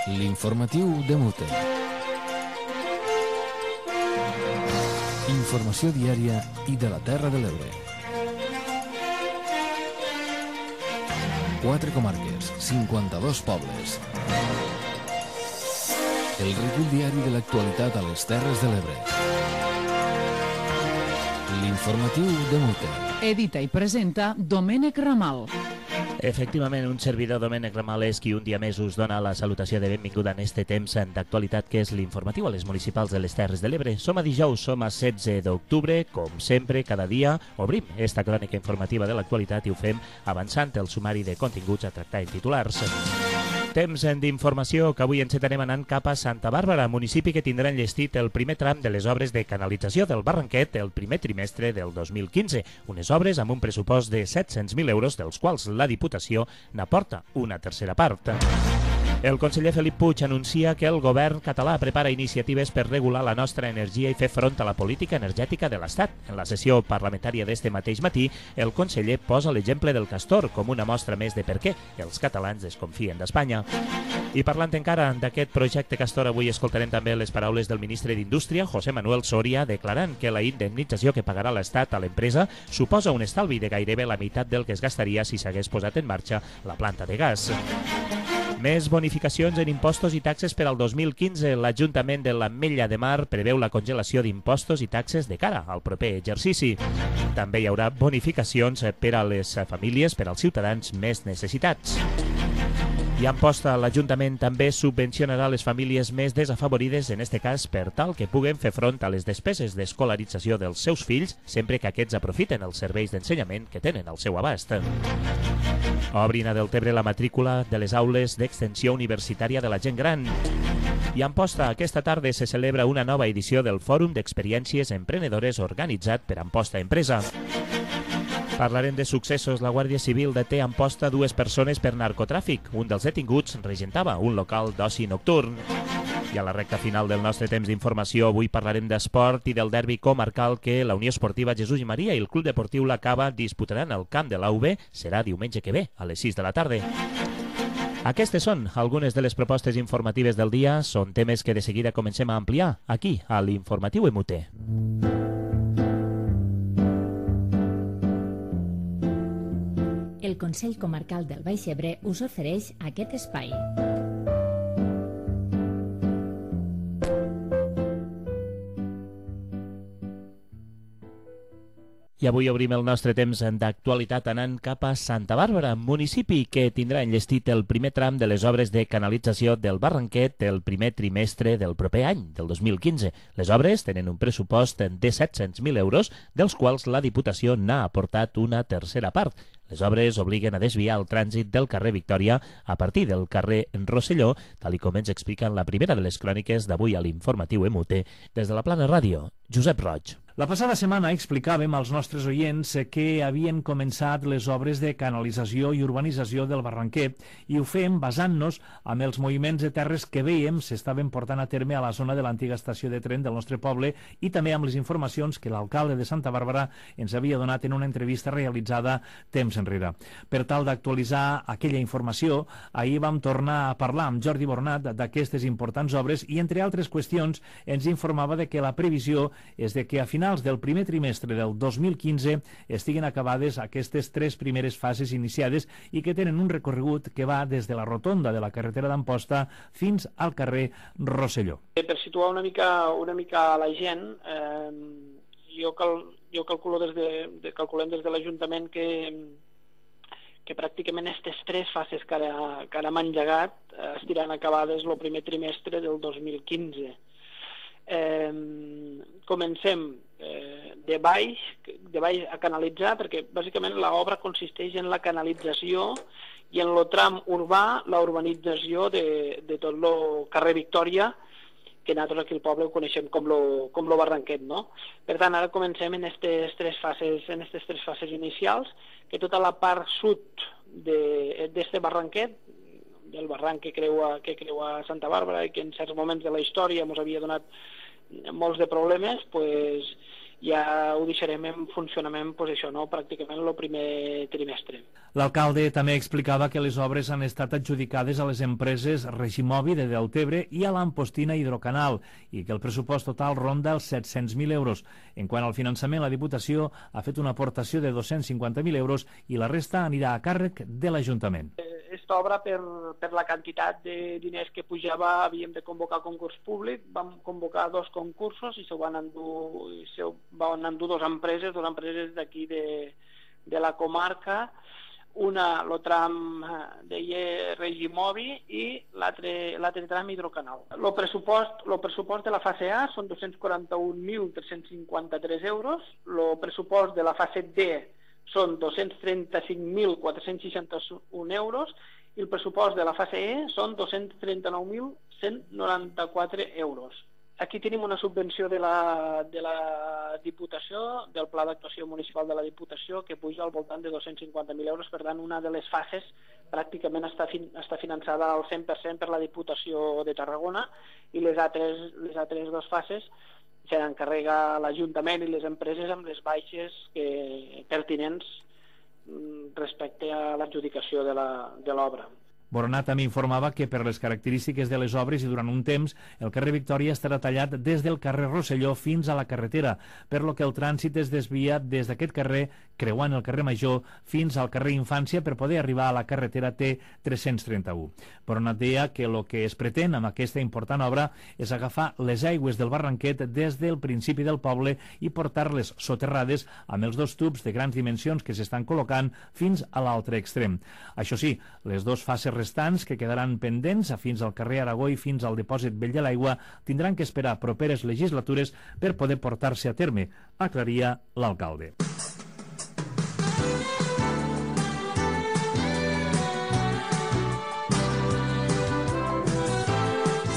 L'informatiu de Mute. Informació diària i de la Terra de l'Ebre. 4 comarques, 52 pobles. El recull diari de l'actualitat a les Terres de l'Ebre. L'informatiu de Mute. Edita i presenta Domènec Ramal. Efectivament, un servidor, Domènec Ramal, és qui un dia més us dona la salutació de benvinguda en este temps d'actualitat que és l'informatiu a les municipals de les Terres de l'Ebre. Som a dijous, som a 16 d'octubre, com sempre, cada dia obrim esta crònica informativa de l'actualitat i ho fem avançant el sumari de continguts a tractar en titulars. Temps d'informació que avui encetarem anant cap a Santa Bàrbara, municipi que tindrà enllestit el primer tram de les obres de canalització del Barranquet el primer trimestre del 2015. Unes obres amb un pressupost de 700.000 euros, dels quals la Diputació n'aporta una tercera part. El conseller Felip Puig anuncia que el govern català prepara iniciatives per regular la nostra energia i fer front a la política energètica de l'Estat. En la sessió parlamentària d'este mateix matí, el conseller posa l'exemple del Castor com una mostra més de per què els catalans desconfien d'Espanya. I parlant encara d'aquest projecte Castor, avui escoltarem també les paraules del ministre d'Indústria, José Manuel Soria, declarant que la indemnització que pagarà l'Estat a l'empresa suposa un estalvi de gairebé la meitat del que es gastaria si s'hagués posat en marxa la planta de gas. Més bonificacions en impostos i taxes per al 2015. L'Ajuntament de l'Ametlla de Mar preveu la congelació d'impostos i taxes de cara al proper exercici. També hi haurà bonificacions per a les famílies, per als ciutadans més necessitats. I a Amposta, l'Ajuntament també subvencionarà les famílies més desafavorides, en este cas per tal que puguen fer front a les despeses d'escolarització dels seus fills sempre que aquests aprofiten els serveis d'ensenyament que tenen al seu abast. Obrin a Deltebre la matrícula de les aules d'extensió universitària de la gent gran. I a Amposta, aquesta tarda se celebra una nova edició del Fòrum d'Experiències Emprenedores organitzat per Amposta Empresa. Parlarem de successos. La Guàrdia Civil deté a Amposta 2 persones per narcotràfic. Un dels detinguts regentava un local d'oci nocturn. I a la recta final del nostre temps d'informació, avui parlarem d'esport i del derbi comarcal que la Unió Esportiva Jesús i Maria i el Club Deportiu La Cava disputaran al camp de l'AUB. Serà diumenge que ve, a les 6 de la tarda. Aquestes són algunes de les propostes informatives del dia. Són temes que de seguida comencem a ampliar aquí, a l'Informatiu MUT. El Consell Comarcal del Baix Ebre us ofereix aquest espai. I avui obrim el nostre temps d'actualitat anant cap a Santa Bàrbara, municipi que tindrà enllestit el primer tram de les obres de canalització del Barranquet el primer trimestre del proper any, del 2015. Les obres tenen un pressupost de 700.000 euros, dels quals la Diputació n'ha aportat una tercera part. Les obres obliguen a desviar el trànsit del carrer Victòria a partir del carrer Rosselló, tal com ens explica en la primera de les cròniques d'avui a l'Informatiu MUT. Des de la Plana Ràdio, Josep Roig. La passada setmana explicàvem als nostres oients que havien començat les obres de canalització i urbanització del Barranquet i ho fem basant-nos en els moviments de terres que veiem s'estaven portant a terme a la zona de l'antiga estació de tren del nostre poble i també amb les informacions que l'alcalde de Santa Bàrbara ens havia donat en una entrevista realitzada temps enrere. Per tal d'actualitzar aquella informació, ahir vam tornar a parlar amb Jordi Bornat d'aquestes importants obres i, entre altres qüestions, ens informava de que la previsió és de que a finals del primer trimestre del 2015 estiguen acabades aquestes 3 primeres fases iniciades i que tenen un recorregut que va des de la rotonda de la carretera d'Amposta fins al carrer Rosselló. Per situar una mica a la gent, jo calculo calculem des de l'Ajuntament que pràcticament aquestes 3 fases que ara hem engegat estiran acabades el primer trimestre del 2015. Comencem de baix a canalitzar, perquè bàsicament l'obra consisteix en la canalització i en el tram urbà, la urbanització de tot el carrer Victòria, que nosaltres aquí al poble ho coneixem com lo Barranquet, no? Per tant, ara comencem en aquestes 3 fases inicials, que tota la part sud d'este Barranquet, del barranc que creua Santa Bàrbara i que en certs moments de la història ens havia donat molts de problemes, pues, ja ho deixarem en funcionament pràcticament el primer trimestre. L'alcalde també explicava que les obres han estat adjudicades a les empreses Regimovi de Deltebre i a l'Ampostina Hidrocanal i que el pressupost total ronda els 700.000 euros. En quant al finançament, la Diputació ha fet una aportació de 250.000 euros i la resta anirà a càrrec de l'Ajuntament. Aquesta obra, per la quantitat de diners que pujava, havíem de convocar concurs públic. Vam convocar 2 concursos i se van endur 2 empreses d'aquí de la comarca. Una, el tram deia Regimovi i l'altre tram Hidrocanal. El pressupost de la fase A són 241.353 euros, el pressupost de la fase D són 235.461 euros i el pressupost de la fase E són 239.194 euros. Aquí tenim una subvenció de la Diputació, del Pla d'Actuació Municipal de la Diputació, que puja al voltant de 250.000 euros. Per tant, una de les fases pràcticament està finançada al 100% per la Diputació de Tarragona i les altres 2 fases se n'encarrega l'Ajuntament i les empreses amb les baixes pertinents respecte a l'adjudicació de l'obra. Boronat també informava que per les característiques de les obres i durant un temps el carrer Victòria estarà tallat des del carrer Rosselló fins a la carretera, per lo que el trànsit es desvia des d'aquest carrer creuant el carrer Major fins al carrer Infància per poder arribar a la carretera T331. Boronat deia que el que es pretén amb aquesta important obra és agafar les aigües del Barranquet des del principi del poble i portar-les soterrades amb els 2 tubs de grans dimensions que s'estan col·locant fins a l'altre extrem. Això sí, les 2 fases restants que quedaran pendents fins al carrer Aragó i fins al dipòsit Vell de l'Aigua tindran que esperar properes legislatures per poder portar-se a terme, aclaria l'alcalde.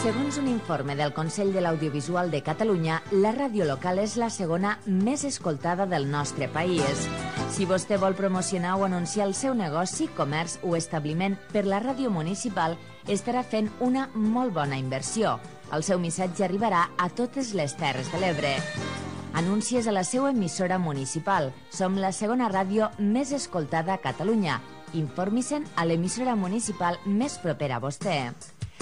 Segons un informe del Consell de l'Audiovisual de Catalunya, la ràdio local és la segona més escoltada del nostre país. Si vostè vol promocionar o anunciar el seu negoci, comerç o establiment per la ràdio municipal, estarà fent una molt bona inversió. El seu missatge arribarà a totes les Terres de l'Ebre. Anuncies a la seva emissora municipal. Som la segona ràdio més escoltada a Catalunya. Informi-se'n a l'emissora municipal més propera a vostè.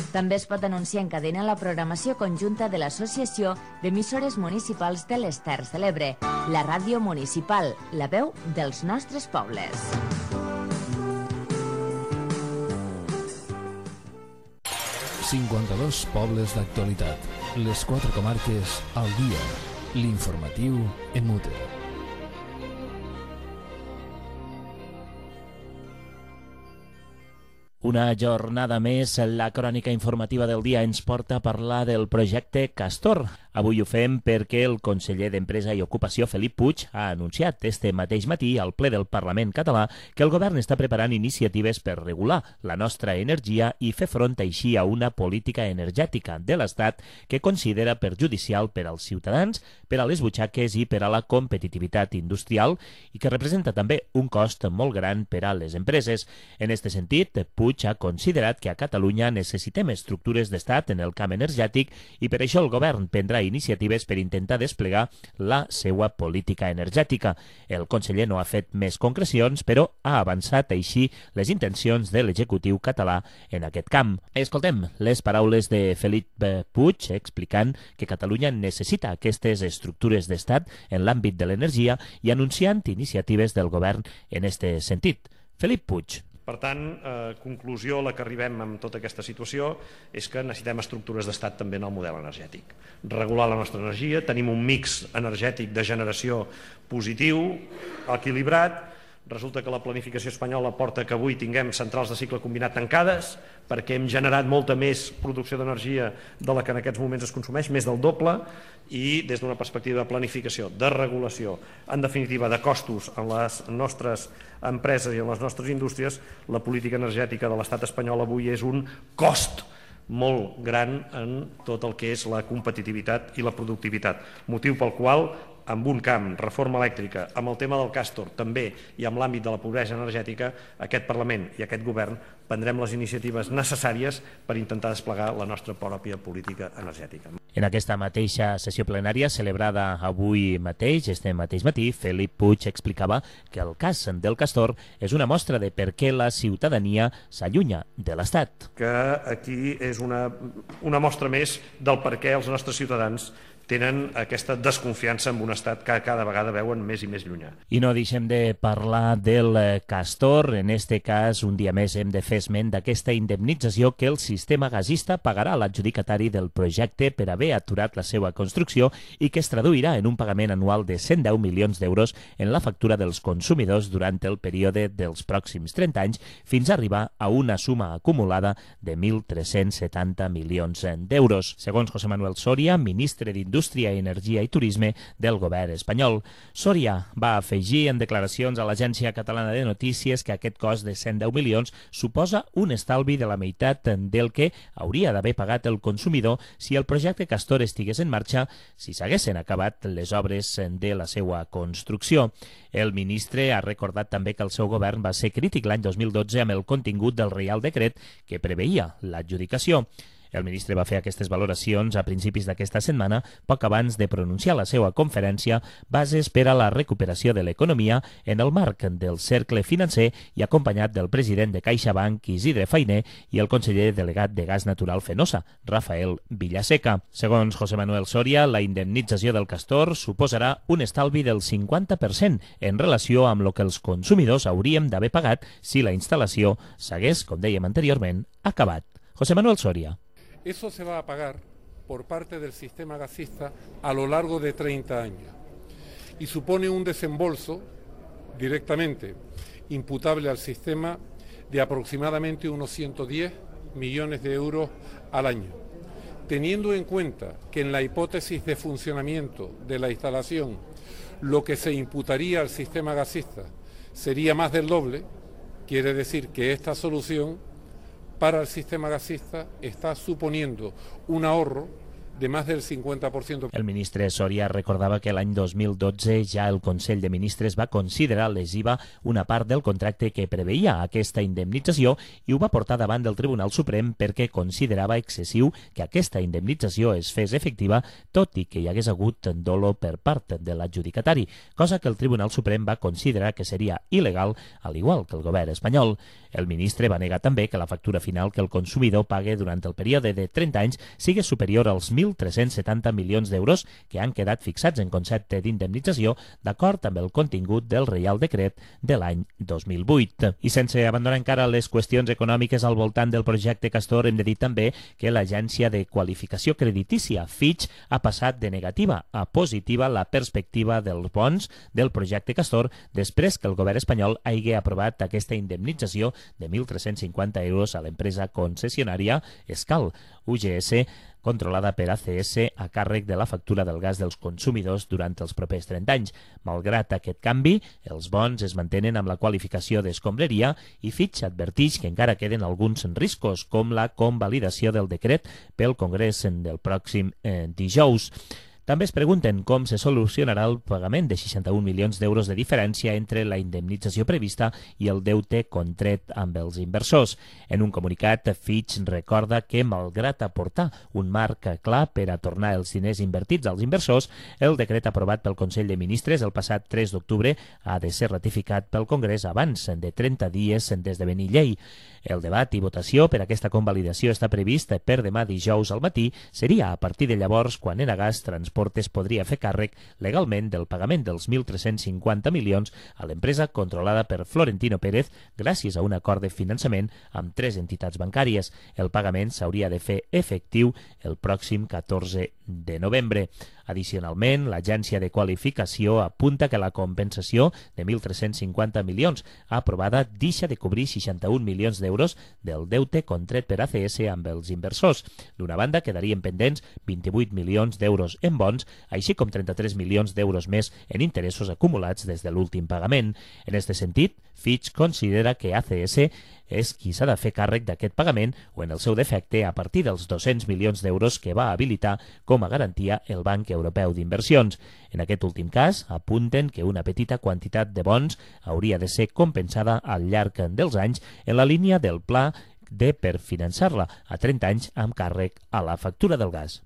També es pot anunciar en cadena la programació conjunta de l'Associació d'Emissores Municipals de les Terres de l'Ebre, la ràdio municipal, la veu dels nostres pobles. ...52 pobles d'actualitat. Les 4 comarques al dia. L'informatiu en mute. Una jornada més, la crònica informativa del dia ens porta a parlar del projecte Castor. Avui ho fem perquè el conseller d'Empresa i Ocupació, Felip Puig, ha anunciat este mateix matí al ple del Parlament català que el govern està preparant iniciatives per regular la nostra energia i fer front així a una política energètica de l'Estat que considera perjudicial per als ciutadans, per a les butxaques i per a la competitivitat industrial i que representa també un cost molt gran per a les empreses. En aquest sentit, Puig ha considerat que a Catalunya necessitem estructures d'estat en el camp energètic i per això el govern prendrà iniciatives per intentar desplegar la seva política energètica. El conseller no ha fet més concrecions, però ha avançat així les intencions de l'executiu català en aquest camp. Escoltem les paraules de Felip Puig explicant que Catalunya necessita aquestes estructures d'estat en l'àmbit de l'energia i anunciant iniciatives del govern en aquest sentit. Felip Puig. Per tant, conclusió a la que arribem amb tota aquesta situació és que necessitem estructures d'estat també en el model energètic. Regular la nostra energia, tenim un mix energètic de generació positiu, equilibrat. Resulta que la planificació espanyola porta que avui tinguem centrals de cicle combinat tancades perquè hem generat molta més producció d'energia de la que en aquests moments es consumeix, més del doble, i des d'una perspectiva de planificació, de regulació, en definitiva de costos en les nostres empreses i en les nostres indústries, la política energètica de l'estat espanyol avui és un cost molt gran en tot el que és la competitivitat i la productivitat, motiu pel qual amb un camp, reforma elèctrica, amb el tema del Castor també i amb l'àmbit de la pobresa energètica, aquest Parlament i aquest govern prendrem les iniciatives necessàries per intentar desplegar la nostra pròpia política energètica. En aquesta mateixa sessió plenària celebrada avui mateix, este mateix matí, Felip Puig explicava que el cas del Castor és una mostra de per què la ciutadania s'allunya de l'Estat. Que aquí és una mostra més del per què els nostres ciutadans tenen aquesta desconfiança en un estat que cada vegada veuen més i més llunyà. I no deixem de parlar del Castor. En este cas, un dia més hem de fer esment d'aquesta indemnització que el sistema gasista pagarà a l'adjudicatari del projecte per haver aturat la seva construcció i que es traduirà en un pagament anual de 110 milions d'euros en la factura dels consumidors durant el període dels pròxims 30 anys fins a arribar a una suma acumulada de 1.370 milions d'euros. Segons José Manuel Soria, ministre d'Indústria, Energia i Turisme del govern espanyol. Soria va afegir en declaracions a l'Agència Catalana de Notícies que aquest cost de 110 milions suposa un estalvi de la meitat del que hauria d'haver pagat el consumidor si el projecte Castor estigués en marxa, si s'haguessin acabat les obres de la seva construcció. El ministre ha recordat també que el seu govern va ser crític l'any 2012 amb el contingut del Reial Decret que preveia l'adjudicació. El ministre va fer aquestes valoracions a principis d'aquesta setmana, poc abans de pronunciar la seva conferència Bases per a la recuperació de l'economia en el marc del cercle financer i acompanyat del president de CaixaBank, Isidre Fainé, i el conseller delegat de Gas Natural Fenosa, Rafael Villaseca. Segons José Manuel Soria, la indemnització del Castor suposarà un estalvi del 50% en relació amb el que els consumidors hauríem d'haver pagat si la instal·lació s'hagués, com dèiem anteriorment, acabat. José Manuel Soria. Eso se va a pagar por parte del sistema gasista a lo largo de 30 años y supone un desembolso directamente imputable al sistema de aproximadamente unos 110 millones de euros al año. Teniendo en cuenta que en la hipótesis de funcionamiento de la instalación lo que se imputaría al sistema gasista sería más del doble, quiere decir que esta solución para el sistema gasista está suponiendo un ahorro de más del 50%. El ministre Soria recordava que l'any 2012 ja el Consell de Ministres va considerar lesiva una part del contracte que preveia aquesta indemnització i ho va portar davant del Tribunal Suprem perquè considerava excessiu que aquesta indemnització es fes efectiva tot i que hi hagués hagut dolo per part de l'adjudicatari, cosa que el Tribunal Suprem va considerar que seria il·legal, al igual que el govern espanyol. El ministre va negar també que la factura final que el consumidor pague durant el període de 30 anys sigui superior als 1.370 milions d'euros que han quedat fixats en concepte d'indemnització d'acord amb el contingut del Reial Decret de l'any 2008. I sense abandonar encara les qüestions econòmiques al voltant del projecte Castor, hem de dir també que l'agència de qualificació creditícia Fitch ha passat de negativa a positiva la perspectiva dels bons del projecte Castor després que el govern espanyol hagi aprovat aquesta indemnització de 1.350 euros a l'empresa concessionària Escal, UGS, controlada per ACS a càrrec de la factura del gas dels consumidors durant els propers 30 anys. Malgrat aquest canvi, els bons es mantenen amb la qualificació d'escombraria i Fitch advertix que encara queden alguns riscos, com la convalidació del decret pel Congrés del pròxim dijous. També es pregunten com se solucionarà el pagament de 61 milions d'euros de diferència entre la indemnització prevista i el deute contret amb els inversors. En un comunicat, Fitch recorda que, malgrat aportar un marc clar per a tornar els diners invertits als inversors, el decret aprovat pel Consell de Ministres el passat 3 d'octubre ha de ser ratificat pel Congrés abans de 30 dies d'esdevenir llei. El debat i votació per aquesta convalidació està previst per demà dijous al matí. Seria a partir de llavors quan Enagás Transportes podria fer càrrec legalment del pagament dels 1.350 milions a l'empresa controlada per Florentino Pérez gràcies a un acord de finançament amb 3 entitats bancàries. El pagament s'hauria de fer efectiu el pròxim 14 de novembre. Addicionalment, l'Agència de Qualificació apunta que la compensació de 1.350 milions aprovada deixa de cobrir 61 milions d'euros del deute contret per ACS amb els inversors. D'una banda, quedarien pendents 28 milions d'euros en bons, així com 33 milions d'euros més en interessos acumulats des de l'últim pagament. En aquest sentit, Fitch considera que ACS és qui s'ha de fer càrrec d'aquest pagament o, en el seu defecte, a partir dels 200 milions d'euros que va habilitar com a garantia el Banc Europeu d'Inversions. En aquest últim cas, apunten que una petita quantitat de bons hauria de ser compensada al llarg dels anys en la línia del pla per finançar-la a 30 anys amb càrrec a la factura del gas.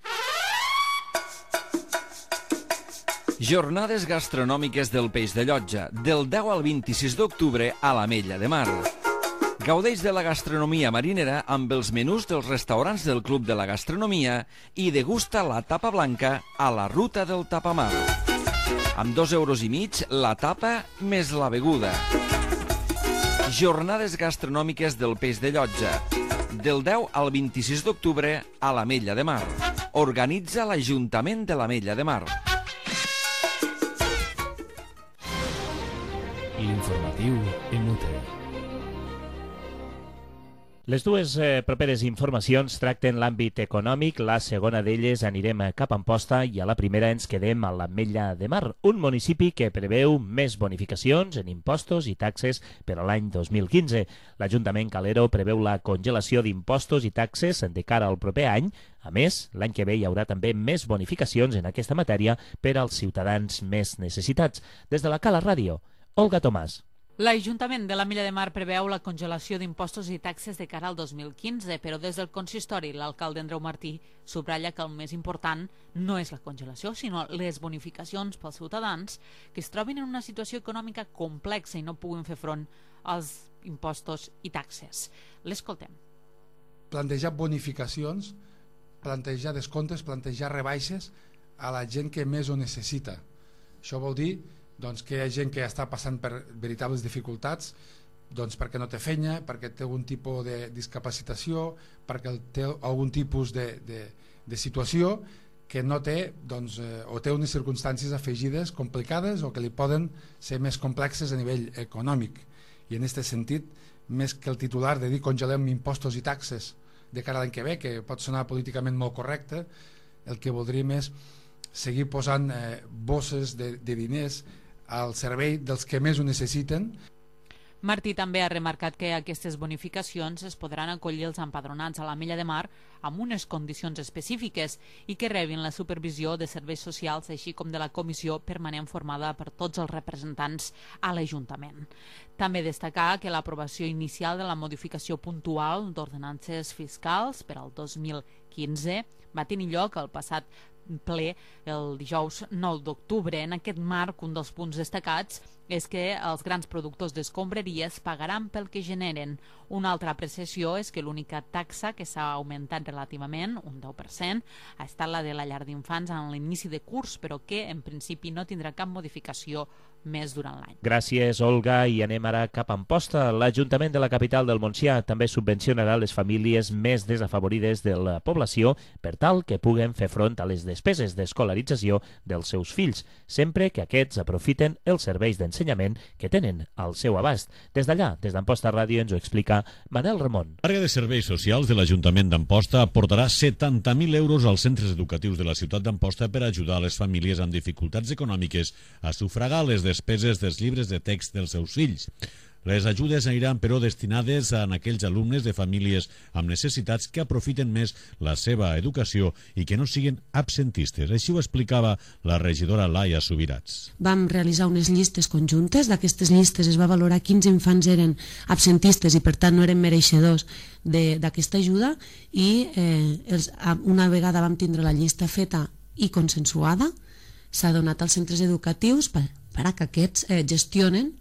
Jornades gastronòmiques del Peix de Llotja, del 10 al 26 d'octubre a l'Ametlla de Mar. Gaudeix de la gastronomia marinera amb els menús dels restaurants del Club de la Gastronomia i degusta la tapa blanca a la Ruta del Tapamar. Amb 2,5 € la tapa més la beguda. Jornades gastronòmiques del Peix de Llotja, del 10 al 26 d'octubre a l'Ametlla de Mar. Organitza l'Ajuntament de l'Ametlla de Mar. L'informatiu MUT. Les dues properes informacions tracten l'àmbit econòmic. La segona d'elles anirem cap a Amposta i a la primera ens quedem a l'Ametlla de Mar, un municipi que preveu més bonificacions en impostos i taxes per a l'any 2015. L'Ajuntament Calero preveu la congelació d'impostos i taxes de cara al proper any. A més, l'any que ve hi haurà també més bonificacions en aquesta matèria per als ciutadans més necessitats. Des de la Cala Ràdio, Olga Tomàs. L'Ajuntament de l'Ametlla de Mar preveu la congelació d'impostos i taxes de cara al 2015, però des del consistori l'alcalde Andreu Martí subratlla que el més important no és la congelació, sinó les bonificacions pels ciutadans que es trobin en una situació econòmica complexa i no puguin fer front als impostos i taxes. L'escoltem. Plantejar bonificacions, plantejar descomptes, plantejar rebaixes a la gent que més ho necessita. Això vol dir que hi ha gent que està passant per veritables dificultats perquè no té feina, perquè té algun tipus de discapacitació, perquè té algun tipus de situació que no té o té unes circumstàncies afegides complicades o que li poden ser més complexes a nivell econòmic. I en aquest sentit, més que el titular de dir congelem impostos i taxes de cara a l'any que ve, que pot sonar políticament molt correcte, el que voldríem és seguir posant bosses de diners al servei dels que més ho necessiten. Martí també ha remarcat que aquestes bonificacions es podran acollir els empadronats a l'Ametlla de Mar amb unes condicions específiques i que rebin la supervisió de serveis socials, així com de la comissió permanent formada per tots els representants a l'Ajuntament. També destacar que l'aprovació inicial de la modificació puntual d'ordenances fiscals per al 2015 va tenir lloc el passat ple el dijous 9 d'octubre. En aquest marc, un dels punts destacats és que els grans productors d'escombraries pagaran pel que generen. Una altra apreciació és que l'única taxa que s'ha augmentat relativament, un 10%, ha estat la de la llar d'infants en l'inici de curs, però que en principi no tindrà cap modificació més durant l'any. Gràcies, Olga, i anem ara cap a Amposta. L'Ajuntament de la capital del Montsià també subvencionarà les famílies més desafavorides de la població per tal que puguen fer front a les despeses d'escolarització dels seus fills, sempre que aquests aprofiten els serveis d'ensenyament que tenen al seu abast. Des d'allà, des d'Amposta Ràdio, ens ho explica Manel Ramon. L'àrea de serveis socials de l'Ajuntament d'Amposta aportarà 70.000 euros als centres educatius de la ciutat d'Amposta per ajudar a les famílies amb dificultats econòmiques a sufragar les despeses dels llibres de text dels seus fills. Les ajudes aniran, però, destinades a aquells alumnes de famílies amb necessitats que aprofiten més la seva educació i que no siguin absentistes. Així ho explicava la regidora Laia Subirats. Vam realitzar unes llistes conjuntes. D'aquestes llistes es va valorar quins infants eren absentistes i, per tant, no eren mereixedors d'aquesta ajuda i una vegada vam tindre la llista feta i consensuada, s'ha donat als centres educatius perquè aquests gestionen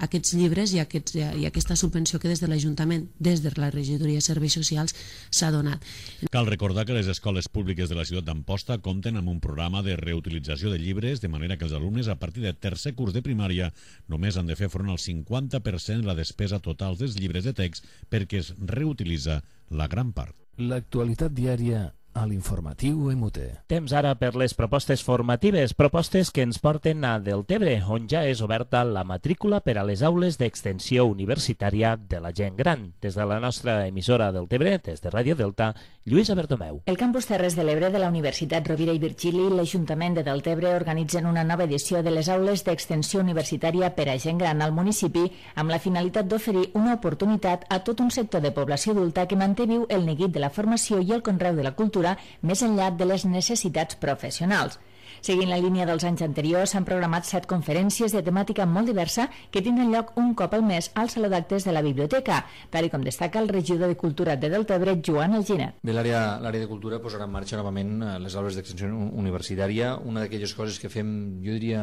aquests llibres i aquesta subvenció que des de l'Ajuntament, des de la regidoria de serveis socials, s'ha donat. Cal recordar que les escoles públiques de la ciutat d'Amposta compten amb un programa de reutilització de llibres, de manera que els alumnes a partir de tercer curs de primària només han de fer front al 50% de la despesa total dels llibres de text perquè es reutilitza la gran part. L'actualitat diària a l'informatiu MUT. Temps ara per les propostes formatives, propostes que ens porten a Deltebre, on ja és oberta la matrícula per a les aules d'extensió universitària de la gent gran. Des de la nostra emissora Deltebre, des de Ràdio Delta, Lluïsa Bertomeu. El campus Terres de l'Ebre de la Universitat Rovira i Virgili i l'Ajuntament de Deltebre organitzen una nova edició de les aules d'extensió universitària per a gent gran al municipi amb la finalitat d'oferir una oportunitat a tot un sector de població adulta que manté viu el neguit de la formació i el conreu de la cultura més enllà de les necessitats professionals. Seguint la línia dels anys anteriors, s'han programat 7 conferències de temàtica molt diversa que tindran lloc un cop al mes al Saló d'Actes de la Biblioteca, tal com destaca el regidor de Cultura de Deltebre, Joan Alginet. Bé, l'àrea de Cultura posarà en marxa novament les aules d'extensió universitària, una d'aquelles coses que fem, jo diria,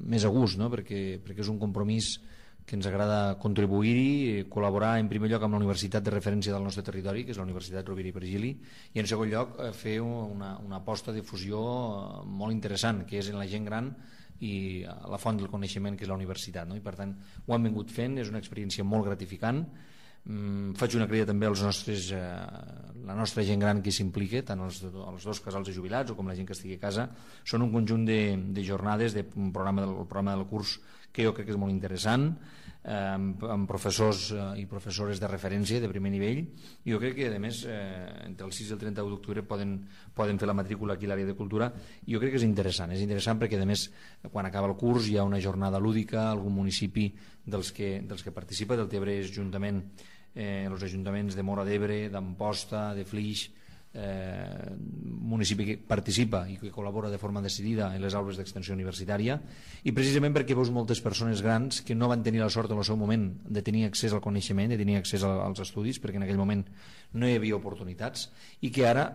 més a gust, no? perquè és un compromís que ens agrada contribuir-hi, col·laborar en primer lloc amb la universitat de referència del nostre territori, que és la Universitat Rovira i Virgili, i en segon lloc fer una aposta de fusió molt interessant, que és en la gent gran i la font del coneixement, que és la universitat, no? I per tant ho hem vingut fent, és una experiència molt gratificant. Faig una crida també als la nostra gent gran que s'implica, tant els dos casals de jubilats o com la gent que estigui a casa. Són un conjunt de jornades del programa del curs que jo crec que és molt interessant, amb professors i professores de referència de primer nivell, i jo crec que a més entre el 6 i el 31 d'octubre poden fer la matrícula aquí a l'àrea de cultura, i jo crec que és interessant perquè a més quan acaba el curs hi ha una jornada lúdica, algun municipi dels que participa, Deltebre és juntament els ajuntaments de Móra d'Ebre, d'Amposta, de Flix, municipi que participa i que col·labora de forma decidida en les aules d'extensió universitària, i precisament perquè veus moltes persones grans que no van tenir la sort en el seu moment de tenir accés al coneixement, de tenir accés als estudis, perquè en aquell moment no hi havia oportunitats, i que ara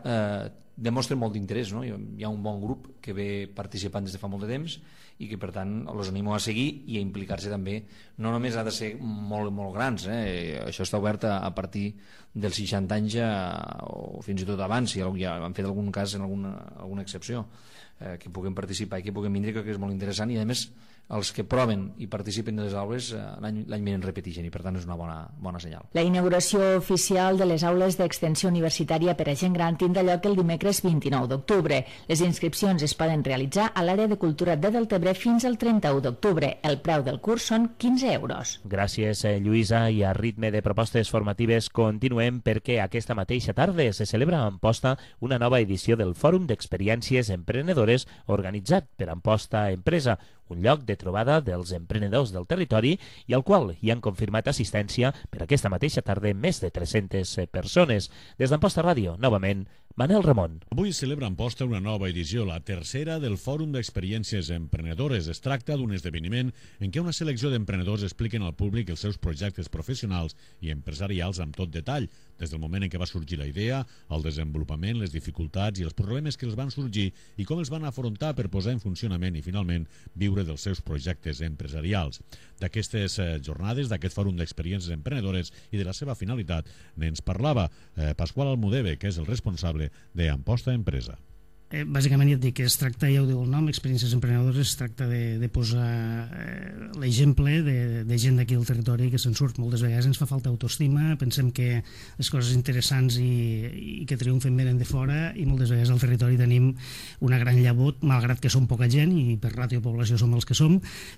demostren molt d'interès, no? Hi ha un bon grup que ve participant des de fa molt de temps i que per tant els animo a seguir i a implicar-se també. No només ha de ser molt, molt grans, això està obert a partir dels 60 anys o fins i tot abans, si ja han fet algun cas en alguna excepció, que puguem participar i que puguem vindre, crec que és molt interessant, i a més els que proven i participen de les aules l'any vinent repeteixen, i per tant és una bona senyal. La inauguració oficial de les aules d'extensió universitària per a gent gran tindrà lloc el dimecres 29 d'octubre. Les inscripcions es poden realitzar a l'àrea de cultura de Deltebre fins al 31 d'octubre. El preu del curs són 15 euros. Gràcies, Lluïsa, i a ritme de propostes formatives continuem, perquè aquesta mateixa tarda se celebra a Amposta una nova edició del Fòrum d'Experiències Emprenedores organitzat per Amposta Empresa, un lloc de trobada dels emprenedors del territori i al qual hi han confirmat assistència per aquesta mateixa tarda més de 300 persones. Des d'Amposta Ràdio, novament, Manel Ramon. Avui celebra Amposta una nova edició, la tercera del Fòrum d'Experiències Emprenedores. Es tracta d'un esdeveniment en què una selecció d'emprenedors expliquen al públic els seus projectes professionals i empresarials amb tot detall, des del moment en què va sorgir la idea, el desenvolupament, les dificultats i els problemes que els van sorgir i com els van afrontar per posar en funcionament i finalment viure dels seus projectes empresarials. D'aquestes jornades, d'aquest Fòrum d'Experiències Emprenedores i de la seva finalitat, n'ens parlava Pasqual Almudeve, que és el responsable de Amposta Empresa. Bàsicament ja et dic que es tracta, ja ho diu el nom, experiències emprenedores, es tracta de posar l'exemple de gent d'aquí del territori que se'n surt. Moltes vegades ens fa falta autoestima, pensem que les coses interessants i que triomfen venen de fora, i moltes vegades al territori tenim una gran llavor, malgrat que som poca gent i per ràtio de població som els que som,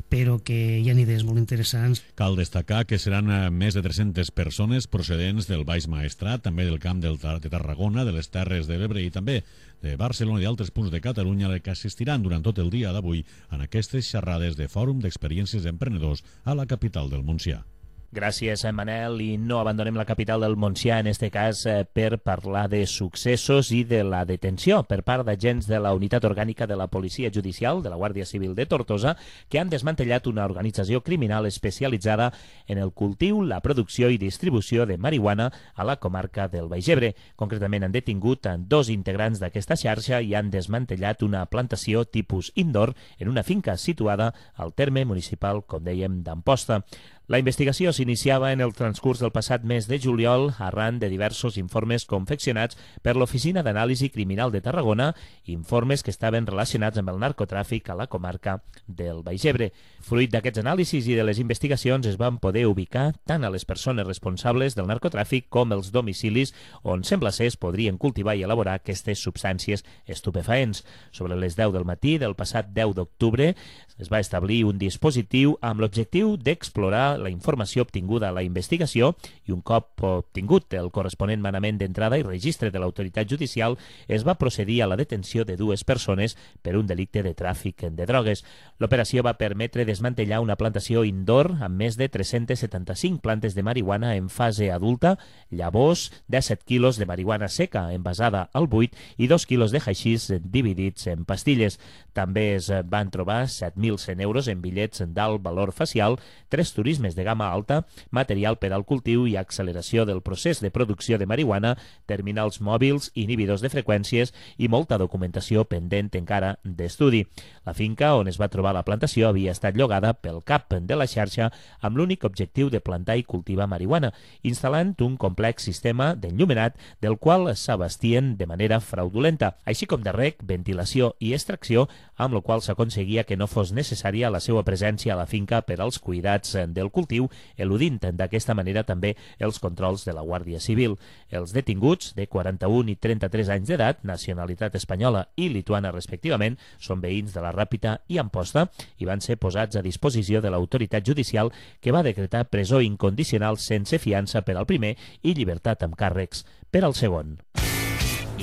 però que hi ha idees molt interessants. Cal destacar que seran més de 300 persones procedents del Baix Maestrat, també del Camp de Tarragona, de les Terres de l'Ebre i també de Barcelona i d'altres punts de Catalunya, que assistiran durant tot el dia d'avui en aquestes xerrades de Fòrum d'Experiències Emprenedors a la capital del Montsià. Gràcies, Manel, i no abandonem la capital del Montsià, en este cas per parlar de successos i de la detenció per part d'agents de la Unitat Orgànica de la Policia Judicial de la Guàrdia Civil de Tortosa, que han desmantellat una organització criminal especialitzada en el cultiu, la producció i distribució de marihuana a la comarca del Baix Ebre. Concretament han detingut 2 integrants d'aquesta xarxa i han desmantellat una plantació tipus indoor en una finca situada al terme municipal, com dèiem, d'Amposta. La investigació s'iniciava en el transcurs del passat mes de juliol arran de diversos informes confeccionats per l'Oficina d'Anàlisi Criminal de Tarragona, informes que estaven relacionats amb el narcotràfic a la comarca del Baix Ebre. Fruit d'aquests anàlisis i de les investigacions es van poder ubicar tant a les persones responsables del narcotràfic com els domicilis on sembla ser es podrien cultivar i elaborar aquestes substàncies estupefaents. Sobre les 10 del matí del passat 10 d'octubre es va establir un dispositiu amb l'objectiu d'explorar la informació obtinguda a la investigació i un cop obtingut el corresponent manament d'entrada i registre de l'autoritat judicial es va procedir a la detenció de 2 persones per un delicte de tràfic de drogues. L'operació va permetre desmantellar una plantació indoor amb més de 375 plantes de marihuana en fase adulta, llavors, 17 quilos de marihuana seca envasada al buit i 2 quilos de haixís dividits en pastilles. També es van trobar 7.100 euros en bitllets d'alt valor facial, 3 turismes de gamma alta, material per al cultiu i acceleració del procés de producció de marihuana, terminals mòbils, inhibidors de freqüències i molta documentació pendent encara d'estudi. La finca on es va trobar la plantació havia estat llogada pel cap de la xarxa amb l'únic objectiu de plantar i cultivar marihuana, instal·lant un complex sistema d'enllumenat del qual s'abastien de manera fraudulenta, així com de rec, ventilació i extracció, amb la qual s'aconseguia que no fos necessària la seva presència a la finca per als cuidats del cultiu, eludint d'aquesta manera també els controls de la Guàrdia Civil. Els detinguts, de 41 i 33 anys d'edat, nacionalitat espanyola i lituana respectivament, són veïns de la Ràpita i Amposta i van ser posats a disposició de l'autoritat judicial que va decretar presó incondicional sense fiança per al primer i llibertat amb càrrecs per al segon.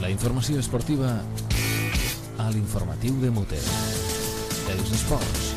La informació esportiva a l'informatiu de Muter. Els esports.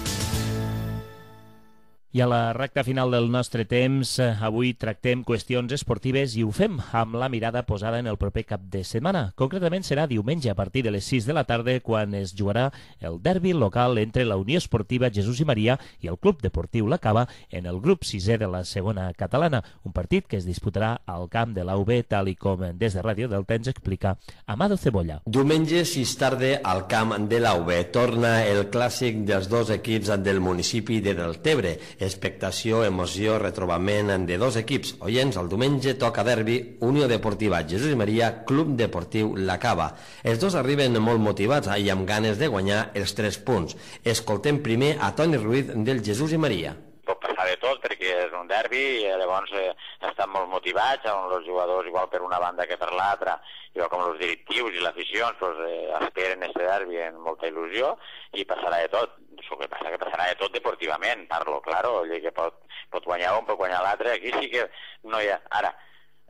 I a la recta final del nostre temps, avui tractem qüestions esportives i ho fem amb la mirada posada en el proper cap de setmana. Concretament serà diumenge a partir de les 6 de la tarda quan es jugarà el derbi local entre la Unió Esportiva Jesús i Maria i el Club Deportiu La Cava en el grup 6è de la segona catalana, un partit que es disputarà al camp de l'AUB, tal i com des de Ràdio Delta ens explica Amado Cebolla. Diumenge 6 tarda al camp de l'AUB torna el clàssic dels 2 equips del municipi de Deltebre. Expectació, emoció, retrobament de 2 equips. Oients, el diumenge toca derbi Unió Deportiva Jesús i Maria, Club Deportiu La Cava. Els 2 arriben molt motivats i amb ganes de guanyar els 3 punts. Escoltem primer a Toni Ruiz del Jesús i Maria. Pot passar de tot perquè és un derbi i llavors estan molt motivats, on els jugadors igual per una banda que per l'altra, igual com els directius i l'afició esperen aquest derbi amb molta il·lusió i passarà de tot. El que passa que passarà de tot deportivament, parlo, claro, que pot guanyar un, pot guanyar l'altre, aquí sí que no hi ha... Ara,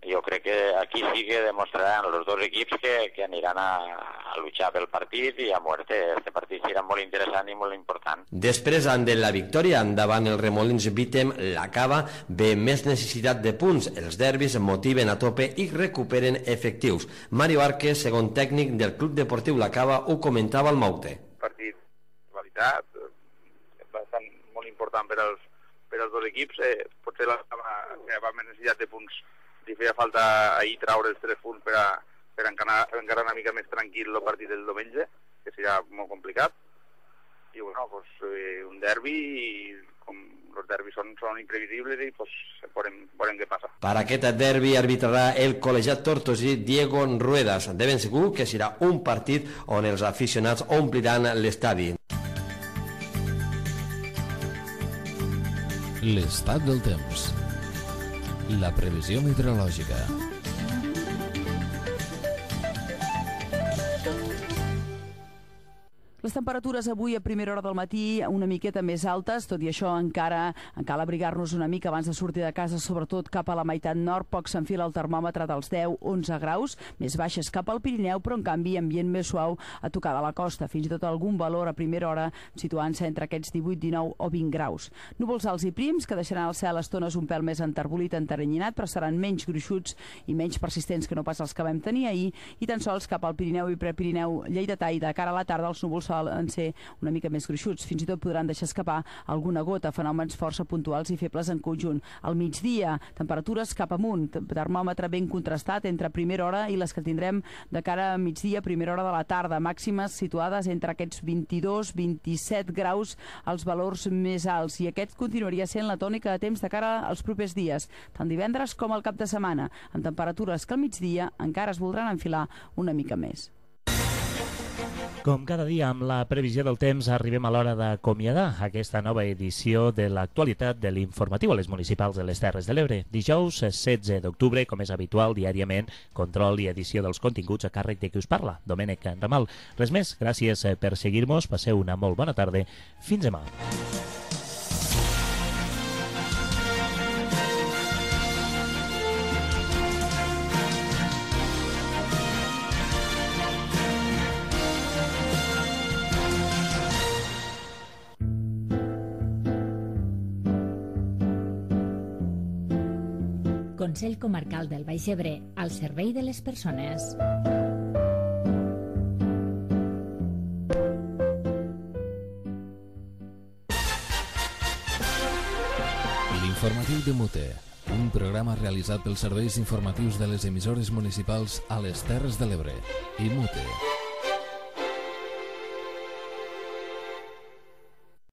jo crec que aquí sí que demostraran els 2 equips que aniran a luchar pel partit i a muerte. Este partit serà molt interessant i molt important. Després de la victòria davant el Remolins Vítem, La Cava ve més necessitat de punts. Els derbis motiven a tope i recuperen efectius. Mario Arques, segon tècnic del Club Deportiu La Cava, ho comentava al Maute. Partit de qualitat, bastant molt important per als 2 equips. Potser la Cava va més necessitat de punts. Li feia falta ahir traure els 3 punts per encara una mica més tranquil el partit del diumenge, que serà molt complicat. I bueno, pues, un derbi, com els derbis són imprevisibles i pues, veurem què passa. Per aquest derbi arbitrarà el col·legiat tortosí Diego Ruedas. De ben segur que serà un partit on els aficionats ompliran l'estadi. L'estat del temps. La previsió meteorològica. Les temperatures avui a primera hora del matí una miqueta més altes, tot i això encara cal abrigar-nos una mica abans de sortir de casa, sobretot cap a la meitat nord, poc s'enfila el termòmetre dels 10-11 graus, més baixes cap al Pirineu, però en canvi ambient més suau a tocar de la costa, fins i tot algun valor a primera hora situant-se entre aquests 18, 19 o 20 graus. Núvols alts i prims que deixaran el cel a estones un pèl més enterbolit, enteranyinat, però seran menys gruixuts i menys persistents que no pas els que vam tenir ahir, i tan sols cap al Pirineu i Prepirineu lleidatà i de cara a la tarda els núvols en ser una mica més gruixuts. Fins i tot podran deixar escapar alguna gota, fenòmens força puntuals i febles en conjunt. Al migdia, temperatures cap amunt, termòmetre ben contrastat entre primera hora i les que tindrem de cara a migdia, primera hora de la tarda, màximes situades entre aquests 22-27 graus als valors més alts, i aquest continuaria sent la tònica de temps de cara als propers dies, tant divendres com al cap de setmana, amb temperatures que al migdia encara es voldran enfilar una mica més. Com cada dia, amb la previsió del temps, arribem a l'hora d'acomiadar aquesta nova edició de l'actualitat de l'informatiu a les municipals de les Terres de l'Ebre. Dijous 16 d'octubre, com és habitual, diàriament, control i edició dels continguts a càrrec de qui us parla, Domènec Ramal. Res més, gràcies per seguir-nos, passeu una molt bona tarda. Fins demà. Consell Comarcal del Baix Ebre, al servei de les persones. L'informatiu de Mute, un programa realitzat pels serveis informatius de les emissores municipals a les Terres de l'Ebre i Mute.